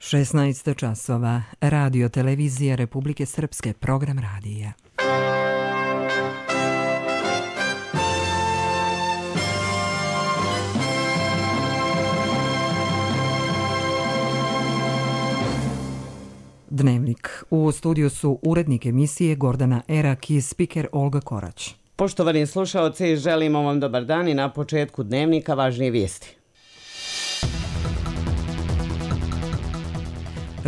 16 časova. Radio televizija Republike Srpske, program radija. Dnevnik. U studiju su urednik emisije Gordana Erak i spiker Olga Korać. Poštovani slušaoci, želimo vam dobar dan i na početku dnevnika važnije vijesti.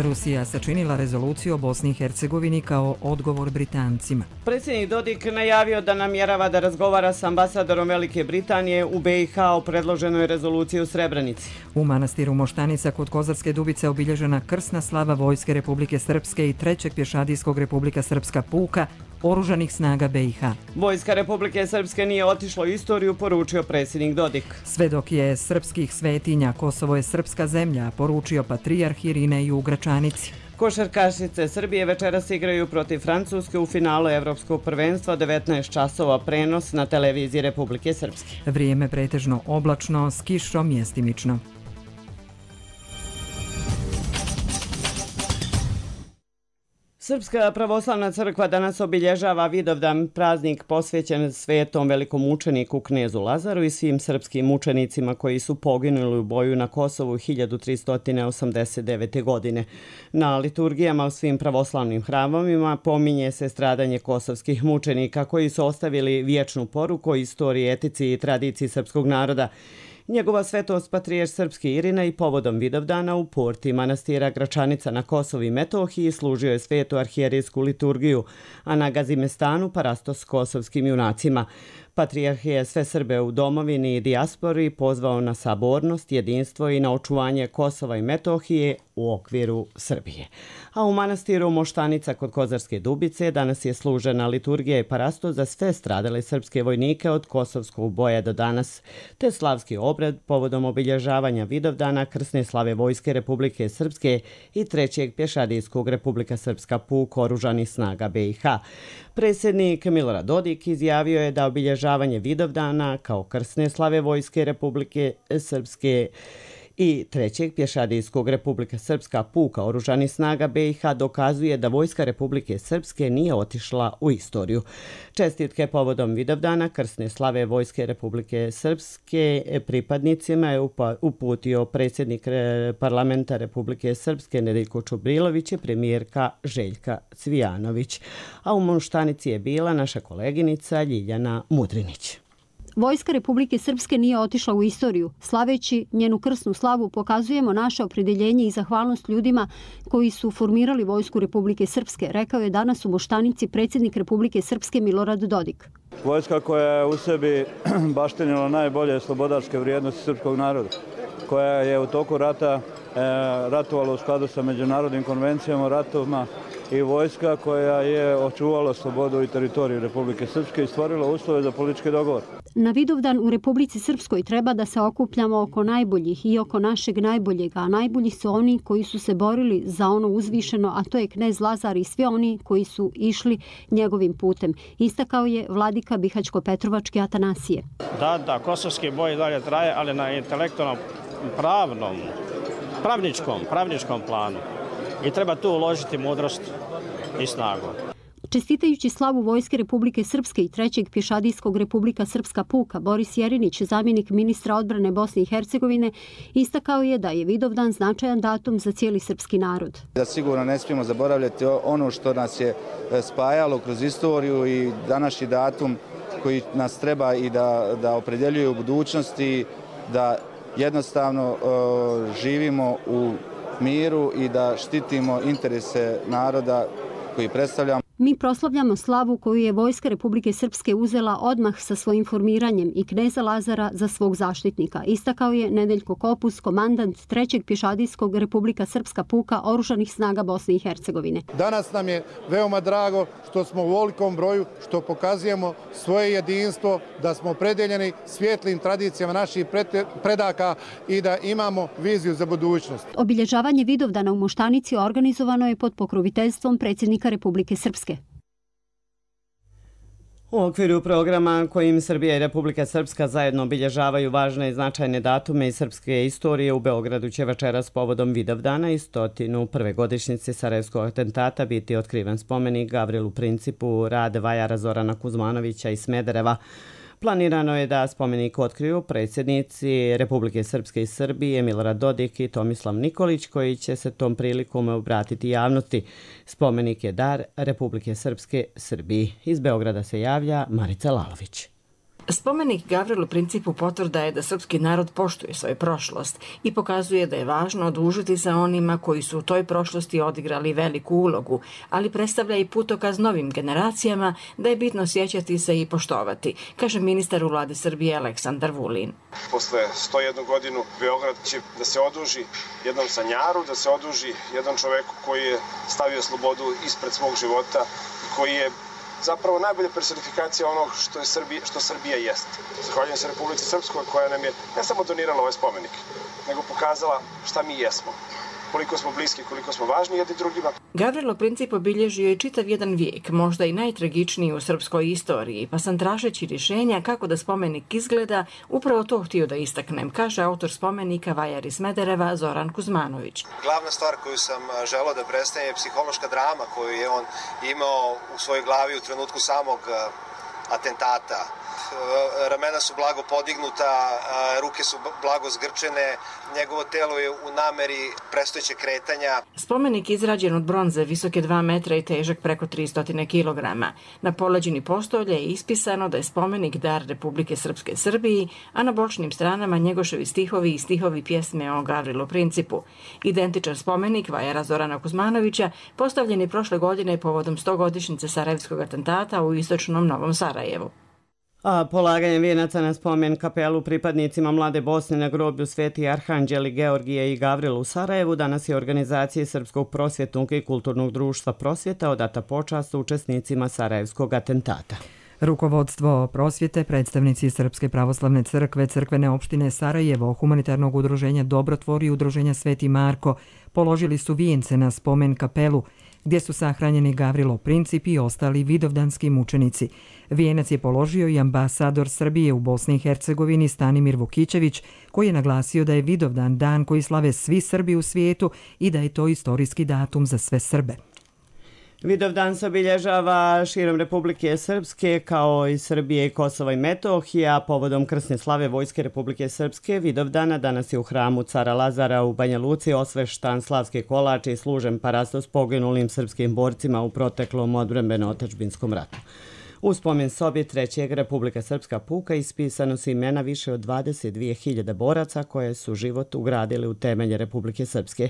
Rusija sačinila rezoluciju o Bosni i Hercegovini kao odgovor Britancima. Predsjednik Dodik najavio da namjerava da razgovara s ambasadorom Velike Britanije u BiH o predloženoj rezoluciji u Srebrenici. U manastiru Moštanica kod Kozarske Dubice obilježena krsna slava Vojske Republike Srpske i 3. pješadijskog Republika Srpska puka Oružanih snaga BiH. Vojska Republike Srpske nije otišla u istoriju, poručio predsjednik Dodik. Sve dok je srpskih svetinja, Kosovo je srpska zemlja, poručio patrijarh Irinej u Gračanici. Košarkašice Srbije večeras igraju protiv Francuske u finalu Evropskog prvenstva, 19 časova, prenos na televiziji Republike Srpske. Vrijeme pretežno oblačno, s kišom mjestimično. Srpska pravoslavna crkva danas obilježava Vidovdan, praznik posvećen svetom velikom mučeniku knezu Lazaru i svim srpskim mučenicima koji su poginuli u boju na Kosovu 1389. godine. Na liturgijama u svim pravoslavnim hramovima pominje se stradanje kosovskih mučenika koji su ostavili vječnu poruku o istoriji, etici i tradiciji srpskog naroda. Njegova svetost patrijarh srpski Irinej povodom Vidovdana u porti manastira Gračanica na Kosovu i Metohiji služio je svetu arhijerijsku liturgiju, a na Gazimestanu parastos kosovskim junacima. Patrijarh je sve Srbe u domovini i dijaspori pozvao na sabornost, jedinstvo i na očuvanje Kosova i Metohije u okviru Srbije. A u manastiru Moštanica kod Kozarske Dubice danas je služena liturgija i parastos za sve stradale srpske vojnike od kosovskog boja do danas, te slavski obred povodom obilježavanja Vidovdana, krsne slave Vojske Republike Srpske i 3. pješadijskog Republika Srpska puk Oružanih snaga BiH. Predsjednik Milorad Dodik izjavio je da obilježavanje Vidovdana kao krsne slave Vojske Republike Srpske i 3. pješadijskog Republika Srpska puka Oružanih snaga BiH dokazuje da Vojska Republike Srpske nije otišla u istoriju. Čestitke povodom Vidovdana krsne slave Vojske Republike Srpske pripadnicima je uputio predsjednik parlamenta Republike Srpske Nedeljko Čubrilović i premijerka Željka Cvijanović. A u Moštanici je bila naša koleginica Ljiljana Mudrinić. Vojska Republike Srpske nije otišla u istoriju. Slaveći njenu krsnu slavu pokazujemo naše opredjeljenje i zahvalnost ljudima koji su formirali Vojsku Republike Srpske, rekao je danas u Moštanici predsjednik Republike Srpske Milorad Dodik. Vojska koja je u sebi baštinila najbolje slobodarske vrijednosti srpskog naroda, koja je u toku rata ratovala u skladu sa međunarodnim konvencijama o ratovima i vojska koja je očuvala slobodu i teritoriju Republike Srpske i stvorila uslove za politički dogovor. Na Vidovdan u Republici Srpskoj treba da se okupljamo oko najboljih i oko našeg najboljega, a najbolji su oni koji su se borili za ono uzvišeno, a to je knez Lazar i svi oni koji su išli njegovim putem. Istakao je vladika Bihaćko-Petrovački Atanasije. Da, kosovski boj dalje traje, ali na intelektualnom, pravničkom planu. I treba tu uložiti mudrost i snagu. Čestitajući slavu Vojske Republike Srpske i 3. pješadijskog Republika Srpska puka, Boris Jerinić, zamjenik ministra odbrane Bosne i Hercegovine, istakao je da je Vidovdan značajan datum za cijeli srpski narod. Da sigurno ne smijemo zaboravljati ono što nas je spajalo kroz istoriju i današnji datum koji nas treba i da opredjeljuje u budućnosti, da jednostavno živimo u miru i da štitimo interese naroda koji predstavljamo. Mi proslavljamo slavu koju je Vojska Republike Srpske uzela odmah sa svojim formiranjem i kneza Lazara za svog zaštitnika. Istakao je Nedeljko Kopus, komandant 3. pješadijskog Republika Srpska puka Oružanih snaga Bosne i Hercegovine. Danas nam je veoma drago što smo u velikom broju, što pokazujemo svoje jedinstvo, da smo opredeljeni svijetlim tradicijama naših predaka i da imamo viziju za budućnost. Obilježavanje Vidovdana u Moštanici organizovano je pod pokroviteljstvom predsjednika Republike Srpske. U okviru programa kojim Srbija i Republika Srpska zajedno obilježavaju važne i značajne datume iz srpske istorije, u Beogradu će večeras povodom Vidovdana i 101. godišnjice Sarajevskog atentata biti otkriven spomenik Gavrilu Principu, rad vajara Zorana Kuzmanovića iz Smedereva. Planirano je da spomenik otkriju predsjednici Republike Srpske i Srbije Milorad Dodik i Tomislav Nikolić, koji će se tom prilikom obratiti javnosti. Spomenik je dar Republike Srpske Srbiji. Iz Beograda se javlja Marica Lalović. Spomenik Gavrilu Principu potvrda je da srpski narod poštuje svoju prošlost i pokazuje da je važno odužiti sa onima koji su u toj prošlosti odigrali veliku ulogu, ali predstavlja i putokaz novim generacijama da je bitno sjećati se i poštovati, kaže ministar u vladi Srbije Aleksandar Vulin. Posle 101 godinu Beograd će da se oduži jednom sanjaru, da se oduži jednom čoveku koji je stavio slobodu ispred svog života, koji je zapravo najbolja personifikacija onog što Srbija jeste. Zahvaljujem se Republici Srpskoj koja nam je ne samo donirala ovaj spomenik, nego pokazala šta mi jesmo, koliko smo bliski, koliko smo važni jedni drugima. Gavrilo Princip obilježio je čitav jedan vijek, možda i najtragičniji u srpskoj istoriji, pa sam tražeći rješenja kako da spomenik izgleda, upravo to htio da istaknem, kaže autor spomenika vajar iz Smedereva Zoran Kuzmanović. Glavna stvar koju sam želeo da predstavim je psihološka drama koju je on imao u svojoj glavi u trenutku samog atentata. Ramena su blago podignuta, ruke su blago zgrčene, njegovo telo je u nameri prestojećeg kretanja. Spomenik izrađen od bronze, visoke 2 metra i težak preko 300 kilograma. Na poleđini postolja je ispisano da je spomenik dar Republike Srpske Srbiji, a na bočnim stranama Njegoševi stihovi i stihovi pjesme o Gavrilu Principu. Identičan spomenik vajara Zorana Kuzmanovića postavljen je prošle godine povodom 100-godišnjice Sarajevskog atentata u istočnom Novom Sarajevu. A polaganjem vijenaca na spomen kapelu pripadnicima Mlade Bosne na groblju Sveti Arhanđeli Georgije i Gavrila u Sarajevu danas je organizaciji Srpskog prosvjetnog i kulturnog društva Prosvjeta odata počast učesnicima Sarajevskog atentata. Rukovodstvo prosvjete, predstavnici Srpske pravoslavne crkve, crkvene opštine Sarajevo, humanitarnog udruženja Dobrotvor i udruženja Sveti Marko položili su vijence na spomen kapelu gdje su sahranjeni Gavrilo Princip i ostali vidovdanski mučenici. Vijenac je položio i ambasador Srbije u Bosni i Hercegovini Stanimir Vukićević, koji je naglasio da je Vidovdan dan koji slave svi Srbi u svijetu i da je to istorijski datum za sve Srbe. Vidovdan se obilježava širom Republike Srpske kao i Srbije i Kosova i Metohija. Povodom krsne slave Vojske Republike Srpske Vidovdana danas je u hramu Cara Lazara u Banja Luci osveštan slavski kolač i služen parastos poginulim srpskim borcima u proteklom odbrambeno-otadžbinskom ratu. U spomen sobi Trećeg Republika Srpska puka ispisano su imena više od 22.000 boraca koje su život ugradili u temelje Republike Srpske.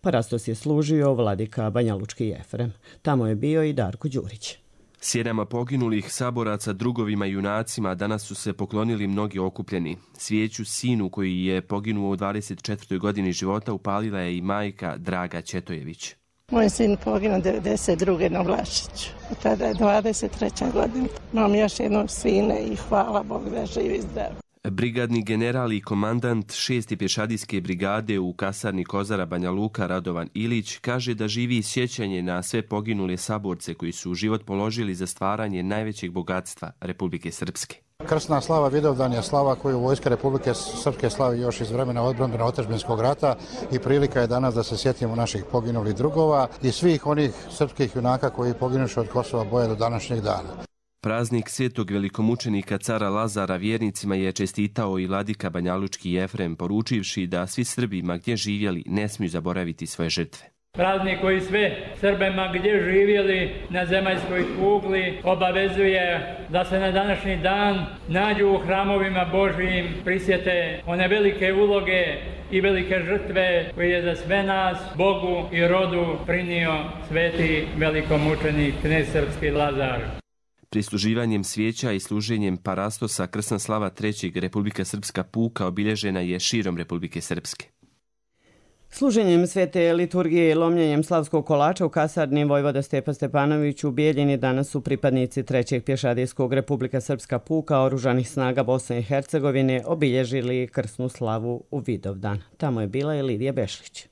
Parastos je služio vladika Banjalučki Jefrem. Tamo je bio i Darko Đurić. Sjenama poginulih saboraca, drugovima i junacima danas su se poklonili mnogi okupljeni. Svijeću sinu koji je poginuo u 24. godini života upalila je i majka Draga Ćetojević. Moj sin poginuo 92. na Vlašiću. Tada je 23. godina. Imam još jednog sina i hvala Bogu da živi zdrav. Brigadni general i komandant 6. pješadijske brigade u kasarni Kozara Banja Luka Radovan Ilić kaže da živi sjećanje na sve poginule saborce koji su život položili za stvaranje najvećeg bogatstva Republike Srpske. Krsna slava Vidovdan je slava koju Vojska Republike Srpske slavi još iz vremena odbrambeno-otadžbinskog rata i prilika je danas da se sjetimo naših poginulih drugova i svih onih srpskih junaka koji poginuše od Kosova boja do današnjeg dana. Praznik svetog velikomučenika cara Lazara vjernicima je čestitao i vladika Banjalučki Jefrem, poručivši da svi Srbi ma gdje živjeli ne smiju zaboraviti svoje žrtve. Praznik koji sve Srbima gdje živjeli na zemaljskoj kugli obavezuje da se na današnji dan nađu u hramovima Božijim, prisjete one velike uloge i velike žrtve koje je za sve nas, Bogu i rodu prinio sveti velikomučenik knez srpski Lazar. Prisluživanjem svijeća i služenjem parastosa krsna slava Trećeg Republika Srpska puka obilježena je širom Republike Srpske. Služenjem svete liturgije i lomljenjem slavskog kolača u kasarni vojvoda Stepa Stepanović u Bijeljini danas su pripadnici Trećeg pješadijskog Republika Srpska puka oružanih snaga Bosne i Hercegovine obilježili krsnu slavu u Vidovdan. Tamo je bila i Lidija Bešlić.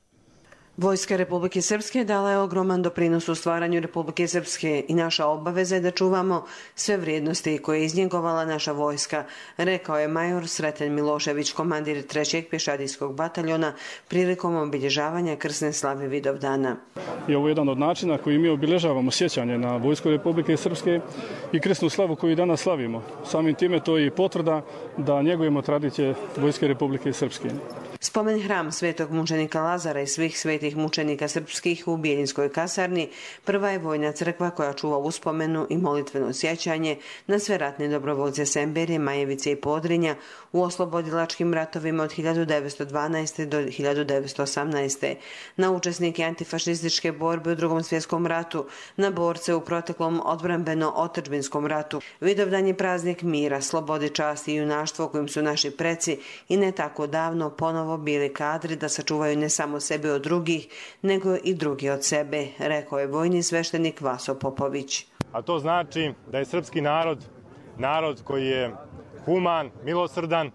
Vojska Republike Srpske dala je ogroman doprinos u stvaranju Republike Srpske i naša obaveza je da čuvamo sve vrijednosti koje je iznjegovala naša vojska, rekao je major Sreten Milošević, komandir 3. pješadijskog bataljona, prilikom obilježavanja krsne slave Vidovdana. I ovo je jedan od načina koji mi obilježavamo sjećanje na Vojsku Republike Srpske i krsnu slavu koju danas slavimo. Samim time to je i potvrda da njegujemo tradicije Vojske Republike Srpske. Spomen hram svetog mučenika Lazara i svih svetih mučenika srpskih u Bijeljinskoj kasarni prva je vojna crkva koja čuva uspomenu i molitveno sjećanje na sve ratne dobrovoljce Semberije, Majevice i Podrinja u oslobodilačkim ratovima od 1912. do 1918. na učesnike antifašističke borbe u Drugom svjetskom ratu, na borce u proteklom odbrambeno-otadžbinskom ratu. Vidovdan je praznik mira, slobode, časti i junaštva kojim su naši preci i ne tako davno ponovo bili kadri da sačuvaju ne samo sebe od drugih, nego i drugi od sebe, rekao je vojni sveštenik Vaso Popović. A to znači da je srpski narod koji je human, milosrdan,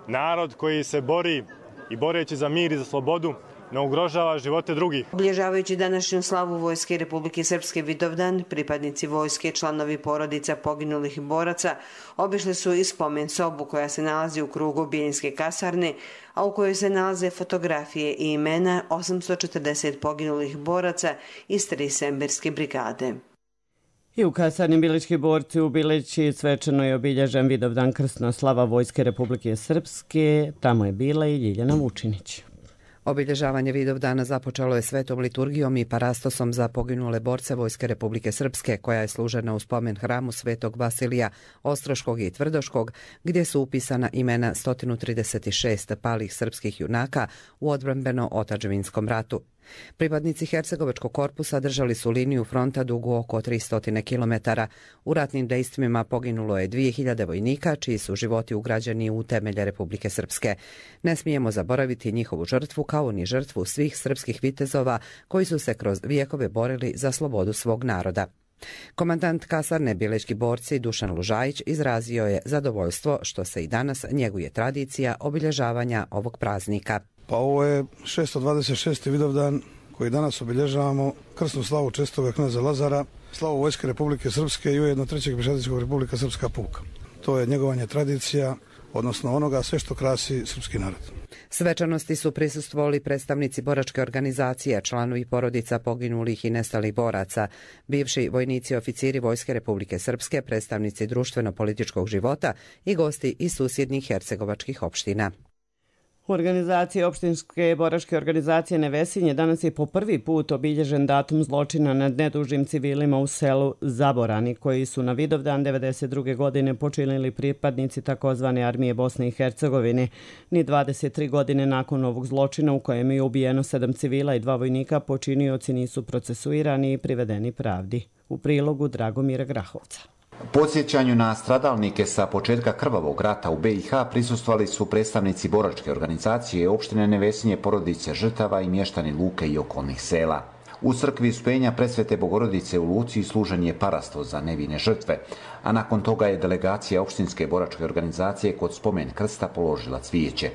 narod koji se bori i boreći za mir i za slobodu, ne ugrožava živote drugih. Obilježavajući današnju slavu Vojske Republike Srpske Vidovdan, pripadnici vojske, članovi porodica poginulih boraca, obišli su i spomen sobu koja se nalazi u krugu Bijeljinske kasarne, a u kojoj se nalaze fotografije i imena 840 poginulih boraca iz 3 semberske brigade. I u kasarni Bilićki borci u Bilići svečano je obilježen Vidovdan krsna slava Vojske Republike Srpske. Tamo je bila i Ljiljana Vučinić. Obilježavanje Vidovdana započelo je svetom liturgijom i parastosom za poginule borce Vojske Republike Srpske, koja je služena u spomen hramu Svetog Vasilija Ostroškog i Tvrdoškog, gdje su upisana imena 136 palih srpskih junaka u odbrambeno-otadžbinskom ratu. Pripadnici Hercegovačkog korpusa držali su liniju fronta dugu oko 300 km. U ratnim dejstvima poginulo je 2000 vojnika, čiji su životi ugrađeni u temelje Republike Srpske. Ne smijemo zaboraviti njihovu žrtvu, kao ni žrtvu svih srpskih vitezova koji su se kroz vijekove borili za slobodu svog naroda. Komandant kasarne Bilićki borci Dušan Lužajić izrazio je zadovoljstvo što se i danas njeguje tradicija obilježavanja ovog praznika. Pa ovo je 626. Vidovdan koji danas obilježavamo krsnu slavu čestitoga kneza Lazara, slavu Vojske Republike Srpske i ujedno 3. pješadijskog Republika Srpska puka. To je njegovanje tradicija, odnosno onoga sve što krasi srpski narod. Svečanosti su prisustvovali predstavnici boračke organizacije, članovi porodica poginulih i nestalih boraca, bivši vojnici i oficiri Vojske Republike Srpske, predstavnici društveno-političkog života i gosti iz susjednih hercegovačkih opština. U organizaciji opštinske boračke organizacije Nevesinje danas je po prvi put obilježen datum zločina nad nedužnim civilima u selu Zaborani, koji su na Vidovdan 1992. godine počinili pripadnici takozvane armije Bosne i Hercegovine. Ni 23 godine nakon ovog zločina, u kojem je ubijeno 7 civila i 2 vojnika, počinioci nisu procesuirani i privedeni pravdi. U prilogu Dragomira Grahovca. Podsjećanju na stradalnike sa početka krvavog rata u BiH prisustvovali su predstavnici boračke organizacije opštine Nevesinje, porodice žrtava i mještani Luke i okolnih sela. U crkvi Uspenja Presvete Bogorodice u Luci služen je parasto za nevine žrtve, a nakon toga je delegacija opštinske boračke organizacije kod spomen krsta položila cvijeće.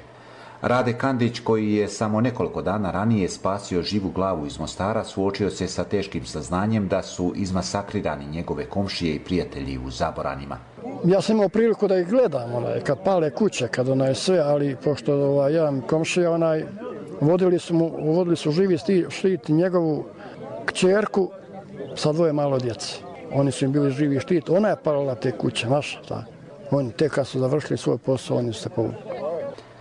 Rade Kandić, koji je samo nekoliko dana ranije spasio živu glavu iz Mostara, suočio se sa teškim saznanjem da su izmasakrirani njegove komšije i prijatelji u Zaboranima. Ja sam imao priliku da ih gledam, kad pale kuće, kad sve, ali pošto jedan komšija, vodili su živi štit njegovu kćerku sa 2 malo djece. Oni su im bili živi štit, ona je palila te kuće, znaš, tako. Oni tek kad su završili svoj posao, oni su se povukli.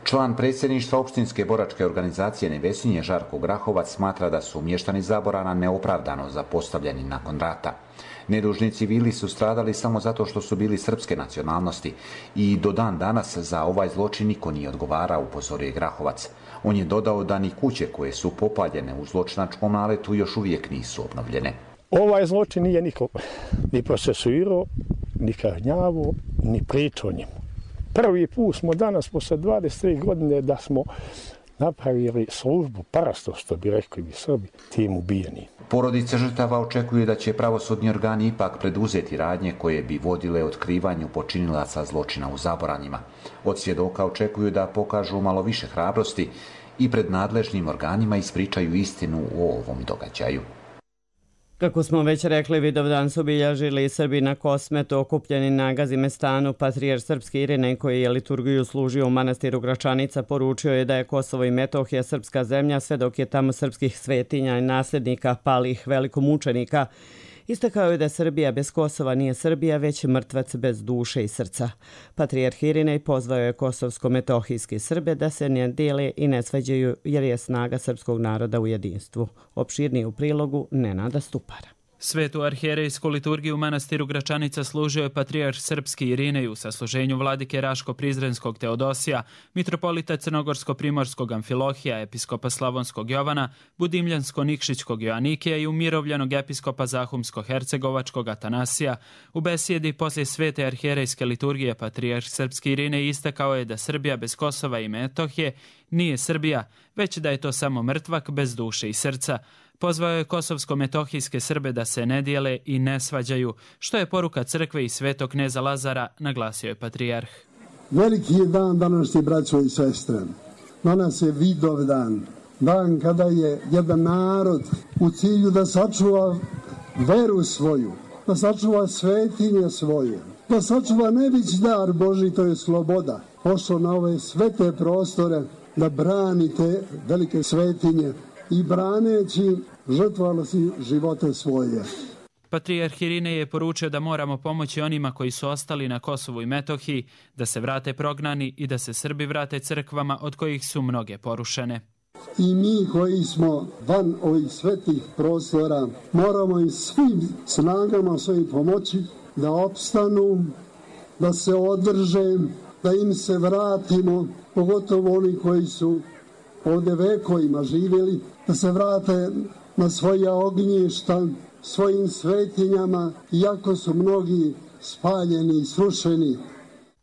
Član predsjedništva opštinske boračke organizacije Nevesinje Žarko Grahovac smatra da su mještani Zaborana neopravdano zapostavljeni nakon rata. Nedužni civili su stradali samo zato što su bili srpske nacionalnosti i do dan danas za ovaj zločin niko nije odgovarao, upozorio Grahovac. On je dodao da ni kuće koje su popaljene u zločinačkom naletu još uvijek nisu obnovljene. Ovaj zločin nije niko ni procesuirao, ni kažnjavao, ni pričao njemu. Prvi put smo danas, posle 23 godine, da smo napravili službu parasto, što bi rekli bi Srbi, tim ubijeni. Porodice žrtava očekuju da će pravosudni organi ipak preduzeti radnje koje bi vodile otkrivanju počinilaca zločina u Zaboranima. Od svjedoka očekuju da pokažu malo više hrabrosti i pred nadležnim organima ispričaju istinu o ovom događaju. Kako smo već rekli, Vidovdan su obilježili Srbi na Kosmetu, okupljeni na Gazimestanu. Patrijarh srpski Irinej, koji je liturgiju služio u manastiru Gračanica, poručio je da je Kosovo i Metohija srpska zemlja, sve dok je tamo srpskih svetinja i nasljednika palih velikomučenika. Istakao je da Srbija bez Kosova nije Srbija, već mrtvac bez duše i srca. Patrijarh Irinej pozvao je kosovsko-metohijski Srbe da se ne dijele i ne svađaju, jer je snaga srpskog naroda u jedinstvu. Opširnije u prilogu Nenada Stupara. Svetu arhijerejsku liturgiju u manastiru Gračanica služio je patrijarh srpski Irinej u sasluženju vladike Raško-Prizrenskog Teodosija, mitropolita Crnogorsko-Primorskog Amfilohija, episkopa Slavonskog Jovana, Budimljansko-Nikšićkog Joanikija i umirovljenog episkopa Zahumsko-Hercegovačkog Atanasija. U besjedi poslije svete arhijerejske liturgije patrijarh srpski Irinej istakao je da Srbija bez Kosova i Metohije nije Srbija, već da je to samo mrtvak bez duše i srca. Pozvao je kosovsko-metohijske Srbe da se ne dijele i ne svađaju, što je poruka crkve i svetog kneza Lazara, naglasio je patrijarh. Veliki je dan današnji, braćo i sestre. Danas je Vidovdan, dan kada je jedan narod u cilju da sačuva veru svoju, da sačuva svetinje svoje, da sačuva najveći dar Božji, to je sloboda, pošao na ove svete prostore da branite velike svetinje i braneći žrtvovali si živote svoje. Patrijarh Irinej je poručio da moramo pomoći onima koji su ostali na Kosovu i Metohiji, da se vrate prognani i da se Srbi vrate crkvama od kojih su mnoge porušene. I mi koji smo van ovih svetih prostora moramo i svim snagama svojim pomoći da opstanu, da se održe, da im se vratimo, pogotovo oni koji su ovdje vekovima živjeli, da se vrate na svoja ognjišta, svojim svetinjama, iako su mnogi spaljeni i srušeni.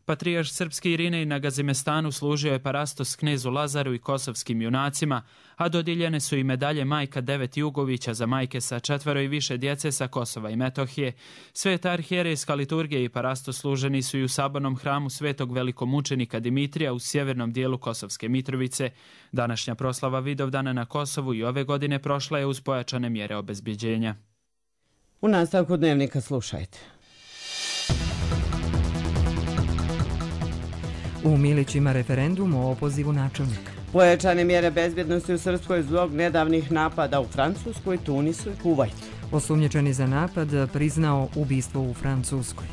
Patrijarh srpski Irinej na Gazimestanu služio je parastos knezu Lazaru i kosovskim junacima, a dodijeljene su i medalje Majka 9 Jugovića za majke sa 4 i više djece sa Kosova i Metohije. Sveta arhijerejska liturgija i parastos služeni su i u sabornom hramu svetog velikomučenika Dimitrija u sjevernom dijelu Kosovske Mitrovice. Današnja proslava Vidovdana na Kosovu i ove godine prošla je uz pojačane mjere obezbjeđenja. U nastavku dnevnika slušajte. U Milićima referendum o opozivu načelnika. Pojačane mjere bezbjednosti u Srpskoj zbog nedavnih napada u Francuskoj, Tunisu i Kuvajtu. Osumnjičeni za napad priznao ubistvo u Francuskoj.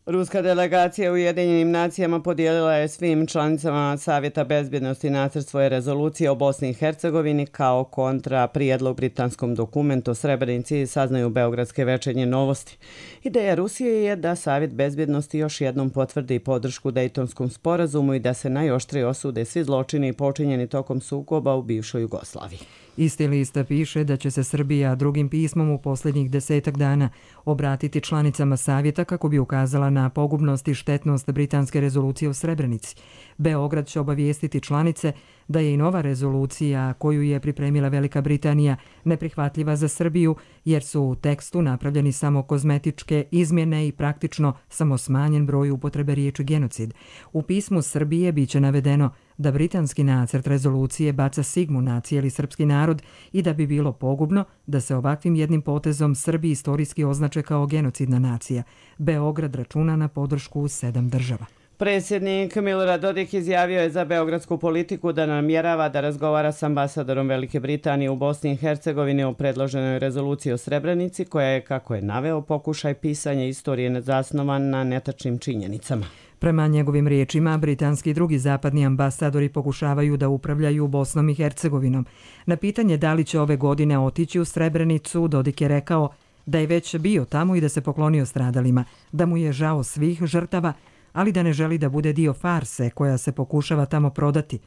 Ruska delegacija u Ujedinjenim nacijama podijelila je svim članicama Savjeta bezbjednosti nacrt svoje rezolucije o Bosni i Hercegovini kao kontra prijedlog britanskom dokumentu o Srebrenici, saznaju beogradske večernje novosti. Ideja Rusije je da Savjet bezbjednosti još jednom potvrdi podršku Dejtonskom sporazumu i da se najoštrije osude svi zločini počinjeni tokom sukoba u bivšoj Jugoslaviji. Isti list piše da će se Srbija drugim pismom u posljednjih 10 dana obratiti članicama Savjeta kako bi ukazala na pogubnost i štetnost britanske rezolucije o Srebrenici. Beograd će obavijestiti članice da je i nova rezolucija koju je pripremila Velika Britanija neprihvatljiva za Srbiju jer su u tekstu napravljeni samo kozmetičke izmjene i praktično samo smanjen broj upotrebe riječi genocid. U pismu Srbije biće navedeno da britanski nacrt rezolucije baca sigmu na cijeli srpski narod i da bi bilo pogubno da se ovakvim jednim potezom Srbi istorijski označe kao genocidna nacija. Beograd računa na podršku 7 država. Predsjednik Milorad Dodik izjavio je za beogradsku politiku da namjerava da razgovara s ambasadorom Velike Britanije u Bosni i Hercegovini o predloženoj rezoluciji o Srebrenici, koja je, kako je naveo, pokušaj pisanja istorije zasnovan na netačnim činjenicama. Prema njegovim riječima, britanski i drugi zapadni ambasadori pokušavaju da upravljaju Bosnom i Hercegovinom. Na pitanje da li će ove godine otići u Srebrenicu, Dodik je rekao da je već bio tamo i da se poklonio stradalima, da mu je žao svih žrtava, ali da ne želi da bude dio farse koja se pokušava tamo prodati.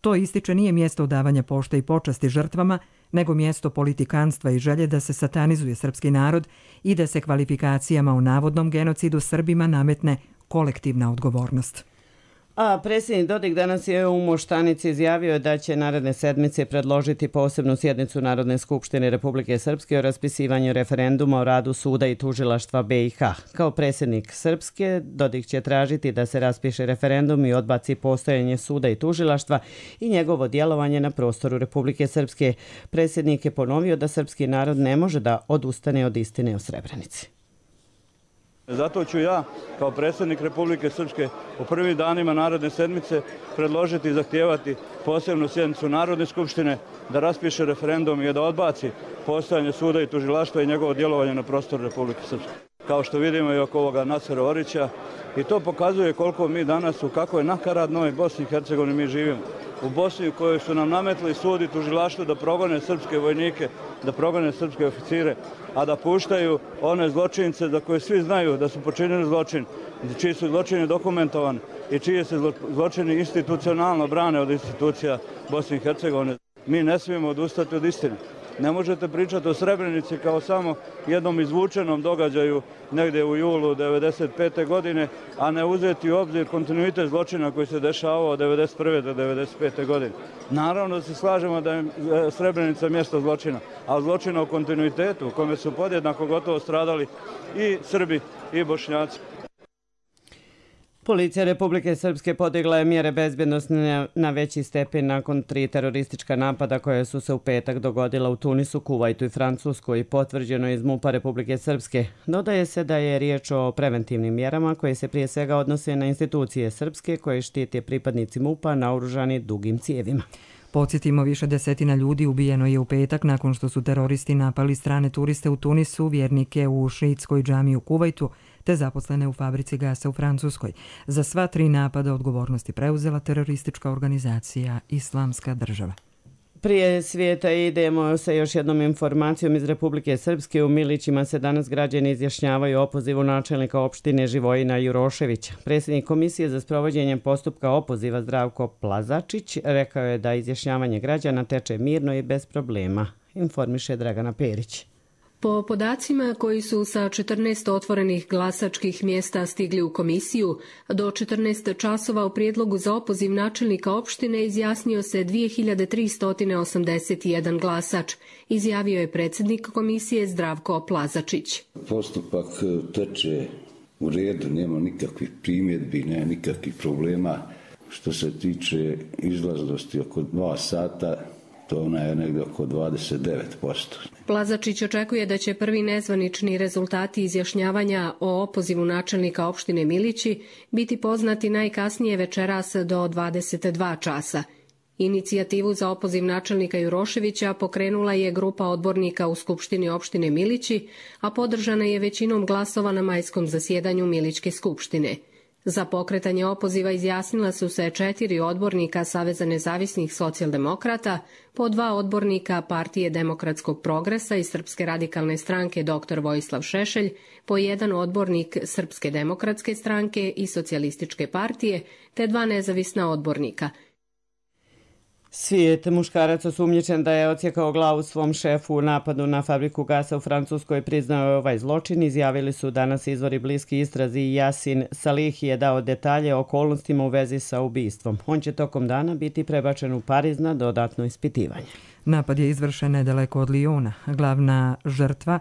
To, ističe, nije mjesto odavanja pošte i počasti žrtvama, nego mjesto politikanstva i želje da se satanizuje srpski narod i da se kvalifikacijama o navodnom genocidu Srbima nametne kolektivna odgovornost. A predsjednik Dodik danas je u Moštanici izjavio da će naredne sedmice predložiti posebnu sjednicu Narodne skupštine Republike Srpske o raspisivanju referenduma o radu suda i tužilaštva BiH. Kao predsjednik Srpske, Dodik će tražiti da se raspiše referendum i odbaci postojanje suda i tužilaštva i njegovo djelovanje na prostoru Republike Srpske. Predsjednik je ponovio da srpski narod ne može da odustane od istine o Srebrenici. Zato ću ja, kao predsjednik Republike Srpske, u prvim danima naredne sedmice predložiti i zahtijevati posebnu sjednicu Narodne skupštine da raspiše referendum i da odbaci postojanje suda i tužilaštva i njegovo djelovanje na prostoru Republike Srpske. Kao što vidimo i oko ovoga Nasera Orića, i to pokazuje koliko mi danas u kakvoj nakaradnoj Bosni i Hercegovini mi živimo. U Bosni u kojoj su nam nametli sud i tužilaštvo da progone srpske vojnike, da progone srpske oficire, a da puštaju one zločince za koje svi znaju da su počinili zločin, čiji su zločini dokumentovani i čije se zločini institucionalno brane od institucija Bosne i Hercegovine. Mi ne smijemo odustati od istine. Ne možete pričati o Srebrenici kao samo jednom izvučenom događaju negdje u julu 1995. godine, a ne uzeti u obzir kontinuitet zločina koji se dešavao od 1991. do 1995. godine. Naravno da se slažemo da je Srebrenica mjesto zločina, a zločina u kontinuitetu u kome su podjednako gotovo stradali i Srbi i Bošnjaci. Policija Republike Srpske podigla je mjere bezbjednosti na veći stepen nakon 3 teroristička napada koje su se u petak dogodila u Tunisu, Kuvajtu i Francuskoj, potvrđeno iz MUP-a Republike Srpske. Dodaje se da je riječ o preventivnim mjerama koje se prije svega odnose na institucije srpske koje štite pripadnici MUP-a naoružani dugim cijevima. Podsjetimo, više desetina ljudi ubijeno je u petak nakon što su teroristi napali strane turiste u Tunisu, vjernike u šiitskoj džamiji u Kuvajtu te zaposlene u fabrici gasa u Francuskoj. Za sva 3 napada odgovornosti preuzela teroristička organizacija Islamska država. Prije svijeta idemo sa još jednom informacijom iz Republike Srpske. U Milićima se danas građani izjašnjavaju o opozivu načelnika opštine Živojina Juroševića. Predsjednik Komisije za sprovođenje postupka opoziva Zdravko Plazačić rekao je da izjašnjavanje građana teče mirno i bez problema, informiše Dragana Perić. Po podacima koji su sa 14 otvorenih glasačkih mjesta stigli u komisiju, do 14 časova u prijedlogu za opoziv načelnika opštine izjasnio se 2381 glasač, izjavio je predsjednik komisije Zdravko Plazačić. Postupak teče u redu, nema nikakvih primjedbi, nema nikakvih problema. Što se tiče izlaznosti oko 2 sata, to ona je negdje oko 29%. Plazačić očekuje da će prvi nezvanični rezultati izjašnjavanja o opozivu načelnika opštine Milići biti poznati najkasnije večeras do 22 časa. Inicijativu za opoziv načelnika Juroševića pokrenula je grupa odbornika u Skupštini opštine Milići, a podržana je većinom glasova na majskom zasjedanju Milićke skupštine. Za pokretanje opoziva izjasnila su se 4 odbornika Saveza nezavisnih socijaldemokrata, po 2 odbornika Partije demokratskog progresa i Srpske radikalne stranke dr. Vojislav Šešelj, po 1 odbornik Srpske demokratske stranke i Socijalističke partije, te 2 nezavisna odbornika. Svijet muškarac osumnjičen da je odsjekao glavu svom šefu u napadu na fabriku gasa u Francuskoj priznao je ovaj zločin. Izjavili su danas izvori bliski istrazi i Yasin Salih je dao detalje o okolnostima u vezi sa ubistvom. On će tokom dana biti prebačen u Pariz na dodatno ispitivanje. Napad je izvršen nedaleko od Lijona. Glavna žrtva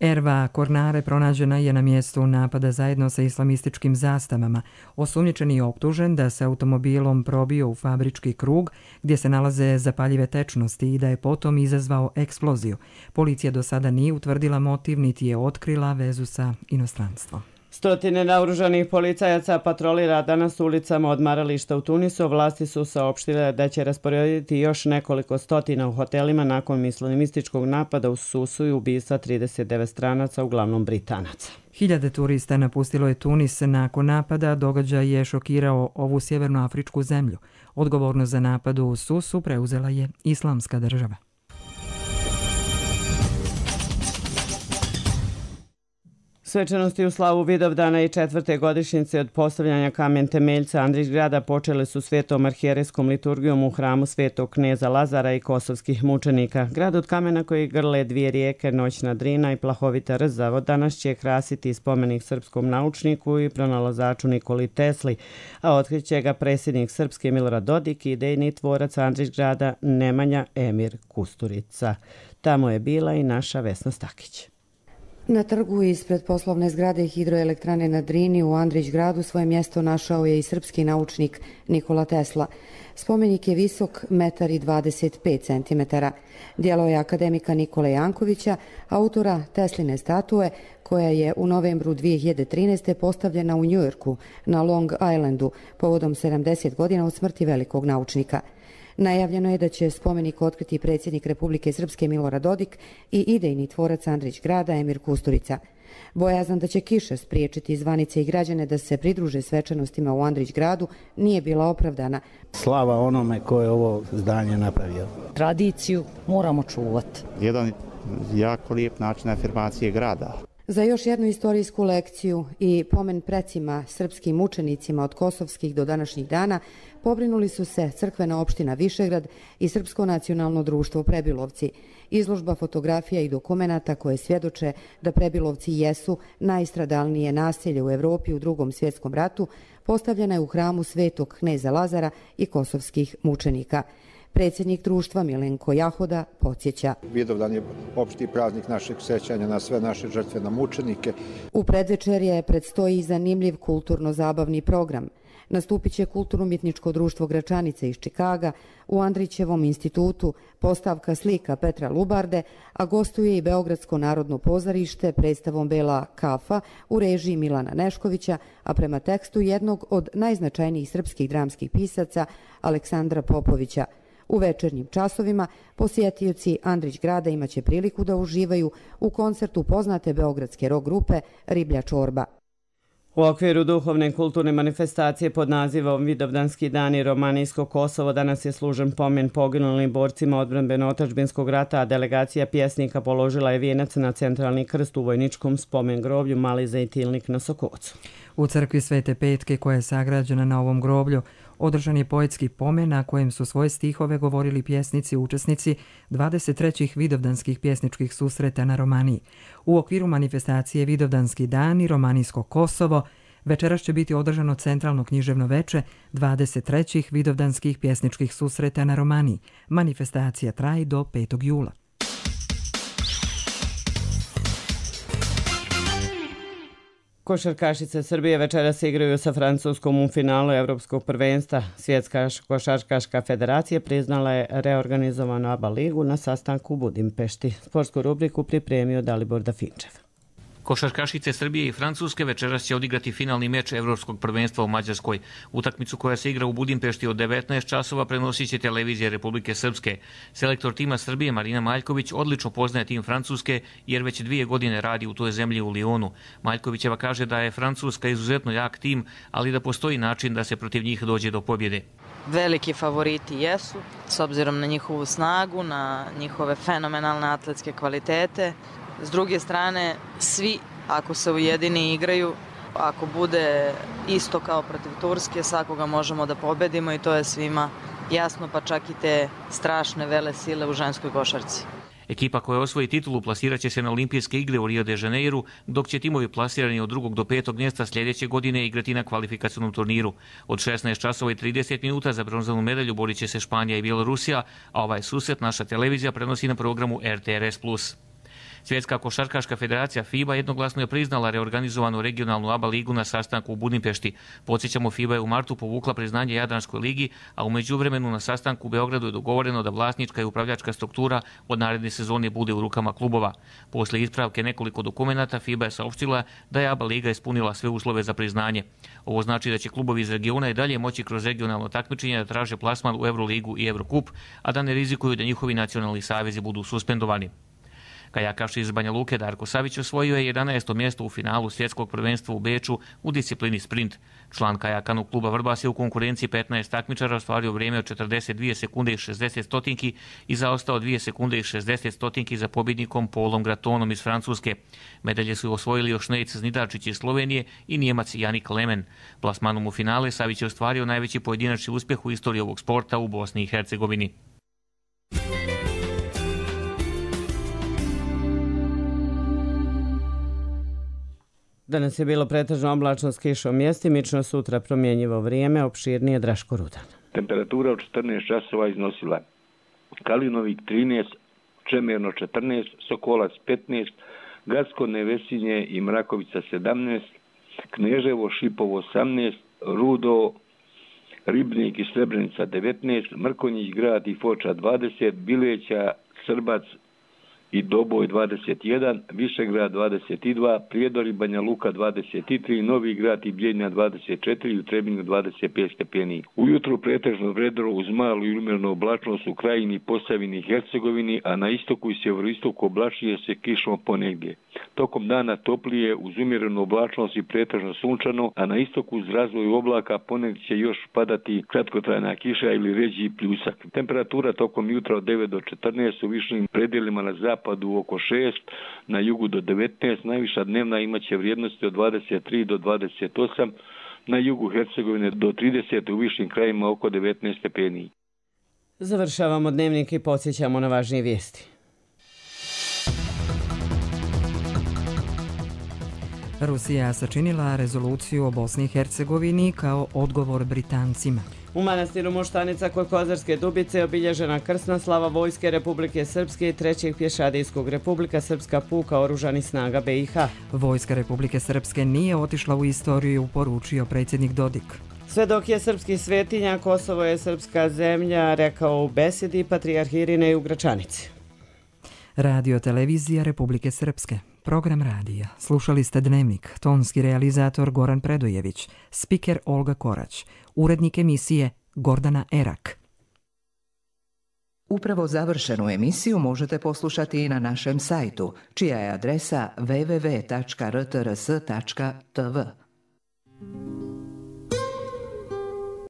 Erva Kornare pronađena je na mjestu napada zajedno sa islamističkim zastavama. Osumnjičeni je optužen da se automobilom probio u fabrički krug gdje se nalaze zapaljive tečnosti i da je potom izazvao eksploziju. Policija do sada nije utvrdila motiv niti je otkrila vezu sa inostranstvom. Stotine naoružanih policajaca patrolira danas ulicama odmarališta u Tunisu. Vlasti su saopštile da će rasporediti još nekoliko stotina u hotelima nakon islamističkog napada u Susu i ubistva 39 stranaca, uglavnom Britanaca. Hiljade turista napustilo je Tunis nakon napada. Događaj je šokirao ovu sjevernoafričku zemlju. Odgovornost za napad u Susu preuzela je Islamska država. Svečanosti u slavu Vidovdana i 4. godišnjice od postavljanja kamen temeljca Andrićgrada počele su svetom arhijerejskom liturgijom u hramu svetog kneza Lazara i kosovskih mučenika. Grad od kamena koji grle dvije rijeke, noćna Drina i plahovita Rzavo, danas će krasiti spomenik srpskom naučniku i pronalazaču Nikoli Tesli, a otkriće ga predsjednik Srpske Milorad Dodik i idejni tvorac Andrićgrada Nemanja Emir Kusturica. Tamo je bila i naša Vesna Stakić. Na trgu ispred poslovne zgrade hidroelektrane na Drini u Andrićgradu svoje mjesto našao je i srpski naučnik Nikola Tesla. Spomenik je visok 1,25 cm. Djelo je akademika Nikole Jankovića, autora Tesline statue, koja je u novembru 2013. postavljena u Njujorku na Long Islandu povodom 70 godina od smrti velikog naučnika. Najavljeno je da će spomenik otkriti predsjednik Republike Srpske Milorad Dodik i idejni tvorac Andrićgrada Emir Kusturica. Bojazan da će kiša spriječiti zvanice i građane da se pridruže svečanostima u Andrićgradu nije bila opravdana. Slava onome ko je ovo zdanje napravio. Tradiciju moramo čuvati. Jedan jako lijep način afirmacije grada. Za još jednu istorijsku lekciju i pomen precima srpskim mučenicima od kosovskih do današnjih dana pobrinuli su se crkvena opština Višegrad i Srpsko nacionalno društvo Prebilovci. Izložba fotografija i dokumenata koje svjedoče da Prebilovci jesu najstradalnije naselje u Evropi u Drugom svjetskom ratu postavljena je u hramu svetog kneza Lazara i kosovskih mučenika. Predsjednik društva Milenko Jahoda podsjeća. Vidovdan je opšti praznik našeg sećanja na sve naše žrtve, na mučenike. U predvečerje predstoji zanimljiv kulturno-zabavni program. Nastupit će Kulturno-umjetničko društvo Gračanice iz Čikaga, u Andrićevom institutu postavka slika Petra Lubarde, a gostuje i Beogradsko narodno pozorište predstavom Bela kafa u režiji Milana Neškovića, a prema tekstu jednog od najznačajnijih srpskih dramskih pisaca Aleksandra Popovića. U večernjim časovima posjetioci Andrićgrada imaće priliku da uživaju u koncertu poznate beogradske rock grupe Riblja čorba. U okviru duhovne kulturne manifestacije pod nazivom Vidovdanski dani Romanijsko Kosovo danas je služen pomen poginulim borcima odbrambeno-otadžbinskog rata, a delegacija pjesnika položila je vijenac na centralni krst u vojničkom spomen groblju Mali Zejtilnik na Sokocu. U crkvi Svete Petke, koja je sagrađena na ovom groblju, održan je poetski pomen na kojem su svoje stihove govorili pjesnici učesnici 23. Vidovdanskih pjesničkih susreta na Romaniji. U okviru manifestacije Vidovdanski dani Romanijsko Kosovo večeras će biti održano centralno književno veče 23. Vidovdanskih pjesničkih susreta na Romaniji. Manifestacija traje do 5. jula. Košarkašice Srbije večeras se igraju sa Francuskom u finalu Evropskog prvenstva. Svjetska košarkaška federacija priznala je reorganizovanu ABA ligu na sastanku u Budimpešti. Sportsku rubriku pripremio Dalibor Dafinčev. Košarkašice Srbije i Francuske večeras će odigrati finalni meč Evropskog prvenstva u Mađarskoj. Utakmicu koja se igra u Budimpešti od 19 časova prenosit će televizija Republike Srpske. Selektor tima Srbije Marina Maljković odlično poznaje tim Francuske jer već 2 godine radi u toj zemlji u Lionu. Maljkovićeva kaže da je Francuska izuzetno jak tim, ali da postoji način da se protiv njih dođe do pobjede. Veliki favoriti jesu, s obzirom na njihovu snagu, na njihove fenomenalne atletske kvalitete. S druge strane, svi, ako se ujedini igraju, ako bude isto kao protiv Turske, svakoga možemo da pobedimo i to je svima jasno, pa čak i te strašne vele sile u ženskoj košarci. Ekipa koja osvoji titulu plasirat će se na olimpijske igre u Rio de Janeiru, dok će timovi plasirani od 2. do 5. mjesta sljedeće godine igrati na kvalifikacionom turniru. Od 16 časova i 30 minuta za bronzanu medalju borit će se Španija i Bjelorusija, a ovaj susret naša televizija prenosi na programu RTRS+. Svjetska košarkaška federacija FIBA jednoglasno je priznala reorganizovanu regionalnu ABA ligu na sastanku u Budimpešti. Podsjećamo, FIBA je u martu povukla priznanje Jadranskoj ligi, a u međuvremenu na sastanku u Beogradu je dogovoreno da vlasnička i upravljačka struktura od naredne sezone bude u rukama klubova. Posle ispravke nekoliko dokumenata, FIBA je saopštila da je ABA liga ispunila sve uslove za priznanje. Ovo znači da će klubovi iz regiona i dalje moći kroz regionalno takmičenje da traže plasman u Euroligu i Eurocup, a da ne rizikuju da njihovi nacionalni savezi budu suspendovani. Kajakaš iz Banja Luke Darko Savić osvojio je 11. mjesto u finalu svjetskog prvenstva u Beču u disciplini sprint. Član kajakanog kluba Vrbas je u konkurenciji 15 takmičara ostvario vrijeme od 42 sekunde i 60 stotinki i zaostao 2 sekunde i 60 stotinki za pobjednikom Polom Gratonom iz Francuske. Medalje su osvojili još Nejc Znidarčić iz Slovenije i Nijemac Janik Lemen. Plasmanom u finale Savić je ostvario najveći pojedinačni uspjeh u istoriji ovog sporta u Bosni i Hercegovini. Danas je bilo pretežno oblačno s kišom, mjestimično, sutra promjenjivo vrijeme, opširnije Draško Rudan. Temperatura od 14 časova iznosila Kalinovik 13, Čemerno 14, Sokolac 15, Gacko, Nevesinje i Mrakovica 17, Kneževo, Šipovo 18, Rudo, Ribnik i Srebrenica 19, Mrkonjić grad i Foča 20, Bileća, Srbac i Doboj 21, Višegrad 22, Prijedor i Banja Luka 23, Novi grad i Bljenja 24 i u Trebinju 25 stepeni. Ujutru pretežno vedro uz malu i umjernu oblačnost u Krajini, Posavini i Hercegovini, a na istoku i sjeveroistoku oblačuje se kišom ponegdje. Tokom dana toplije uz umjerenu oblačnost i pretežno sunčano, a na istoku uz razvoj oblaka ponegdje će još padati kratkotrajna kiša ili ređi pljusak. Temperatura tokom jutra od 9 do 14 u višim predjelima na zapadu oko 6, na jugu do 19, najviša dnevna imaće vrijednosti od 23 do 28, na jugu Hercegovine do 30, u višim krajima oko 19 stepeni. Završavamo dnevnik i podsjećamo na važnije vijesti. Rusija sačinila rezoluciju o Bosni i Hercegovini kao odgovor Britancima. U manastiru Moštanica kod Kozarske Dubice obilježena krsna slava Vojske Republike Srpske i 3. pješadijskog Republika Srpska puka oružanih snaga BiH. Vojska Republike Srpske nije otišla u istoriju, poručio predsjednik Dodik. Sve dok je srpski svetinja, Kosovo je srpska zemlja, rekao u besedi patrijarh Irinej u Gračanici. Radio televizija Republike Srpske. Program radija. Slušali ste Dnevnik. Tonski realizator Goran Predojević. Spiker Olga Korać. Urednik emisije Gordana Erak. Upravo završenu emisiju možete poslušati i na našem sajtu, čija je adresa www.rtrs.tv.